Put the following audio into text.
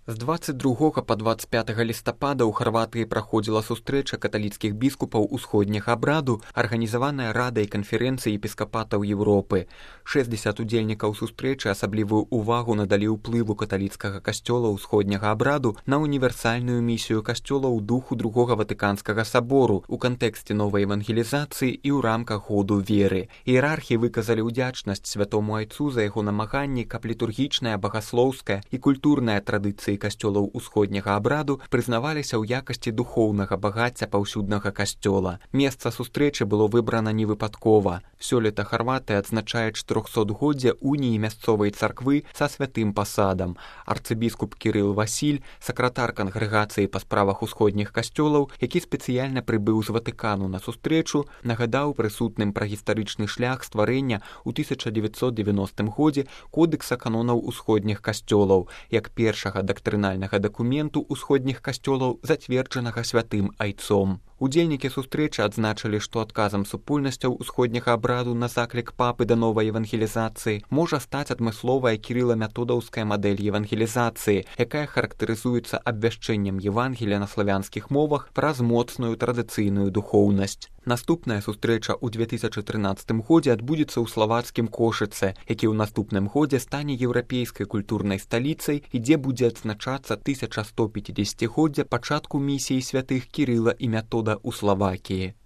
З 22 па 25 лістапада ў Харватыі праходзіла сустрэча каталіцкіх біскупаў усходняга абраду, арганізаваная Радай канферэнцыі епіскапатаў Еўропы. 60 удзельнікаў сустрэчы асаблівую ўвагу надалі ўплыву каталіцкага касцёла ўсходняга абраду на універсальную місію касцёла ў духу другога Ватыканскага сабору у кантэксце новай евангелізацыі і ў рамках году веры. Іерархі выказалі ўдзячнасць святому айцу за яго намаганні, каб літургічная, багаслоўская і культурная традыцыі касцёлаў усходняга абраду прызнаваліся ў якасці духоўнага багацця паўсюднага касцёла. Месца сустрэчы было выбрана невыпадкова. Сёлета Харватыя адзначае 400годдзе уніі мясцовай царквы са святым пасадам. Арцыбіскуп Кірыл Васіль, сакратар кангрэгацыі па справах усходніх касцёлаў, які спецыяльна прыбыў з Ватыкану на сустрэчу, нагадаў прысутным пра гістарычны шлях стварэння ў 1990 годзе кодэкса канонаў усходніх касцёлаў, як першага дактрынальнага дакументу ўсходніх касцёлаў, зацверджанага святым айцом. Удзельнікі сустрэчы адзначылі, што адказам супольнасцяў усходняга абраду на заклік папы да новай евангелізацыі можа стаць адмысловая кірыла-методаўская мадэль евангелізацыі, якая характарызуецца абвяшчэннем Евангелія на славянскіх мовах праз моцную традыцыйную духоўнасць. Наступная сустрэча ў 2013 годзе адбудзецца ў славацкім Кошыцы, які ў наступным годзе стане еўрапейскай культурнай сталіцай і дзе будзе адзначацца 1150годдзя пачатку місіі святых Кірыла і Метода ў Славакіі.